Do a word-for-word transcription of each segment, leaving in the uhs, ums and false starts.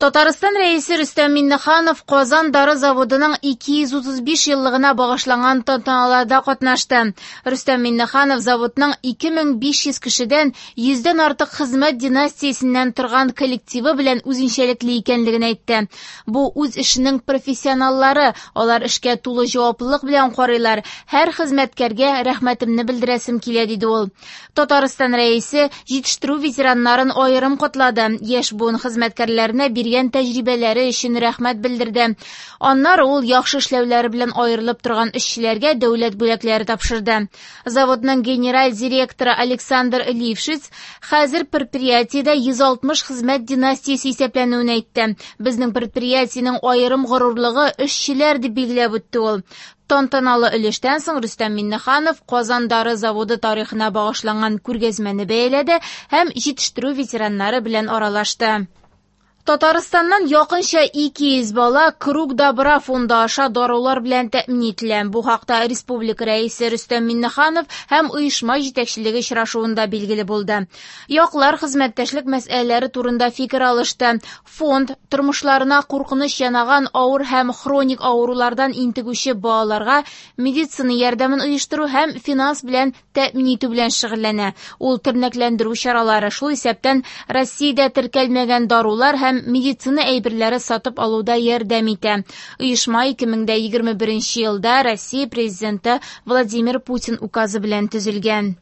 Татарстан Рәисе Рөстәм Миңнеханов Казан дары заводының ике йөз утыз биш еллыгына багышланган тантаналарда катнашты. Рөстәм Миңнеханов заводның ике мең биш йөз кешедән йөздән артык хезмәт династиясеннән торган коллективы белән үзенчәлекле икәнлеген әйтте. Бу үз эшенең профессионаллары, алар эшкә тулы җаваплылык белән карыйлар. Һәр хезмәткәргә рәхмәтемне белдерәсем килә, диде ул. Татарстан Рәисе җитештерү ветераннарын аерым котлады. Яшь буын хезмәткәрләренә биргән тәҗрибәләре өчен рәхмәт белдерде. Аннары ул яхшы эшләүләре белән аерылып торган эшчеләргә дәүләт бүләкләре тапшырды. Заводның генераль директоры Александр Лившиц хәзер предприятиедә йөз алтмыш хезмәт династиясе исәпләнүен әйтте. Безнең предприятиенең аерым горурлыгы эшчеләр дип билгеләп үтте ул. Тантаналы өлештән соң Рөстәм Миңнеханов Казан дары заводы тарихына багышланган күргәзмәне бәяләде һәм җитештерү ветераннары белән аралашты. Татарстаннан якынча ике йөз бала Круг добра фонды аша дарулар белән тәэмин ителә. Бу хакта республика рәисе Рөстәм Миңнеханов һәм оешма җитәкчелеге очрашуында билгеле булды. Яклар хезмәттәшлек мәсьәләләре турында фикер алышты. Фонд тормышларына куркыныч янаган авыр һәм хроник авырулардан интегүче балаларга медицина ярдәмен оештыру һәм финанс белән тәэмин итү белән шөгыльләнә. Ул тернәкләндерү чаралары, шул исәптән Россиядә теркәлмәгән дарулар һәм медицина әйберләре сатып алуда ярдәм итә. Оешма ике мең дә егерме беренче елда Россия президенты Владимир Путин указы белән төзелгән.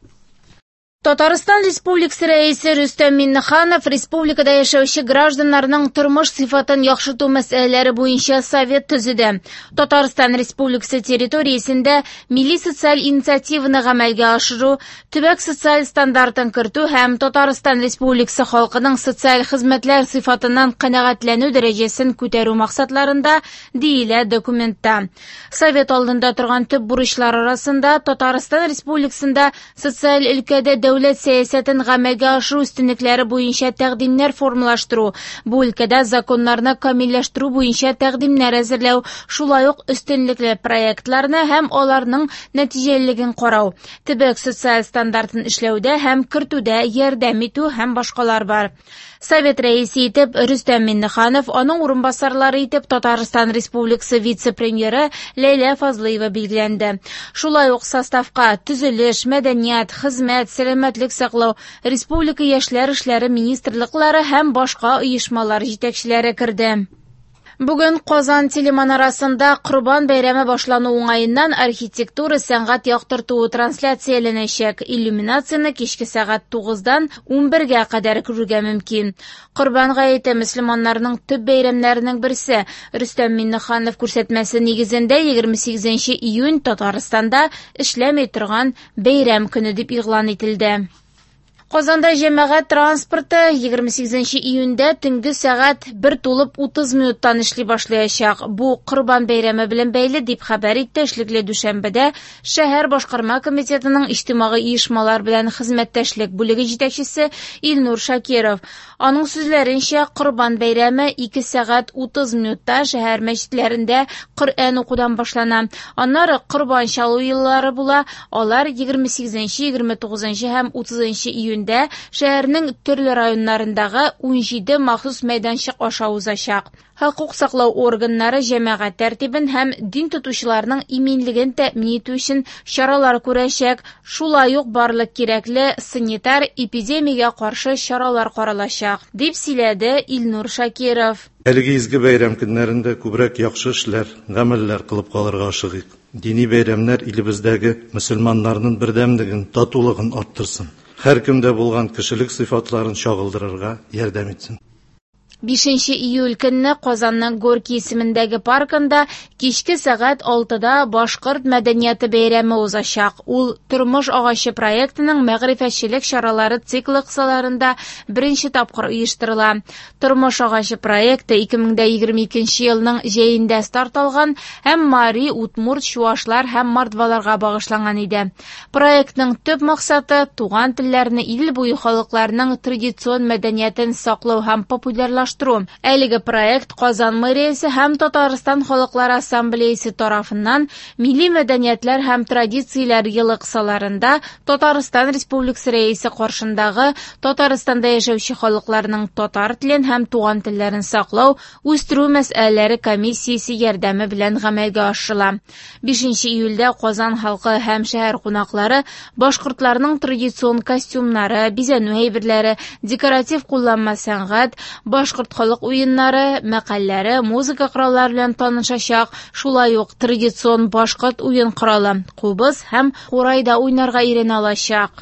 Татарстан Республикасы Рәисе Рөстәм Миңнеханов республикада яшәүче гражданнарның тормыш сыйфатын яхшырту мәсьәләләре буенча совет төзеде. Татарстан Республикасы территориясендә милли социаль инициативаны гамәлгә ашыру, төбәк социаль стандартын кертү һәм Татарстан Республикасы халкының социаль хезмәтләр сыйфатыннан канәгатьләнү дәрәҗәсен күтәрү максатларында диелә документта. Совет алдында торган төп бурычлар арасында Татарстан Республикасында социаль өлкәдә дәүләт сәясәтен гамәлгә ашыру өстенлекләре буенча тәкъдимнәр формалаштыру, бу өлкәдә законнарны камилләштерү буенча тәкъдимнәр әзерләү, шулай ук өстенлекле проектларны һәм аларның нәтиҗәлелеген карау, төбәк социаль стандартын эшләүдә һәм кертүдә ярдәм итү һәм башкалар бар. Совет рәисе итеп Рөстәм Миңнеханов, аның урынбасарлары итеп Татарстан Республикасы вице-премьеры Ләйлә Фазлыева билгеләнде. Шулай ук составка төзелеш, мәдәният, хезмәт, сәламәтлек саклау, республика яшьләр эшләре министрлыклары һәм башка оешмалар җитәкчеләре керде. Бүген Казан телеманарасында Корбан бәйрәме башлану уңаеннан архитектура сәнгать яктыртуы трансляцияләнәчәк. Иллюминацияне кичке сәгать тугыздан унбергә кадәр күрергә мөмкин. Корбан гаете мөселманнарның төп бәйрәмнәренең берсе. Рөстәм Миңнеханов күрсәтмәсе нигезендә егерме сигезенче июнь Татарстанда эшләми торган бәйрәм көне дип игълан ителде. Казанда җәмәгать транспорты егерме сигезенче июньдә төнге сәгать бер тулып утыз минуттан эшли башлаячак. Бу Корбан бәйрәме белән бәйле дип хәбәр итте эшлекле дүшәмбедә шәһәр башкарма комитетының иҗтимагый оешмалар белән хезмәттәшлек бүлеге җитәкчесе Илнур Шакиров. Аның сүзләренчә, Корбан бәйрәме ике сәгать утыз минутта шәһәр мәчетләрендә Коръән укудан башлана. Аннары Корбан чалу еллары була. Алар егерме сигезенче, егерме тугызынчы һәм утызынчы июньдә шәһәрнең төрле районнарындагы унҗиде махсус мәйданчык аша узачак. Хокук саклау органнары җәмәгать тәртибен һәм дин тотучыларның иминлеген тәэмин итү өчен чаралар күрәчәк. Шулай ук барлык кирәкле санитар эпидемиягә каршы чаралар каралачак, дип сөйләде Илнур Шакиров. Әлеге изге бәйрәм көннәрендә күбрәк яхшы эшләр, гамәлләр кылып калырга ашыгыйк. Дини бәйрәмнәр илебездәге мөселманнарның бердәмлеген, татулыгын арттырсын. Һәр кемдә булган кешелек сыйфатларын чагылдырырга ярдәм итсен. Бишенче июль көнне Казанның Горький исемендәге паркында кичке сәгать алтыда Башкорт мәдәнияте бәйрәме узачак. Ул Тормыш агачы проектының мәгърифәтчелек чаралары циклы кысаларында беренче тапкыр оештырыла. Тормыш агачы проекты ике мең дә егерме икенче елның җәендә старт алган һәм Мари, Удмурт, Чуашлар һәм Мордваларга багышланган иде. Проектның төп максаты туган телләрне ил буе халыкларының традицион мәдәниятен саклау һәм популярлаштыру формалаштыру. Әлеге проект Казан мэриясе һәм Татарстан халыклар ассамблеясы тарафыннан Милли мәдәниятләр һәм традицияләр елы кысаларында Татарстан Республикасы Рәисе каршындагы Татарстанда яшәүче халыкларның татар телен һәм туган телләрен саклау, үстерү мәсьәләләре комиссиясе ярдәме белән гамәлгә ашырыла. бишенче июльдә Казан халкы һәм шәһәр кунаклары башкортларның традицион костюмнары, бизәнү әйберләре, декоратив кулланма сәнгать, башкорт халык уеннары, мәкальләре, музыка кораллары белән танышачак, шулай ук традицион башкорт уен коралы кубыз һәм курайда уйнарга өйрәнә алачак.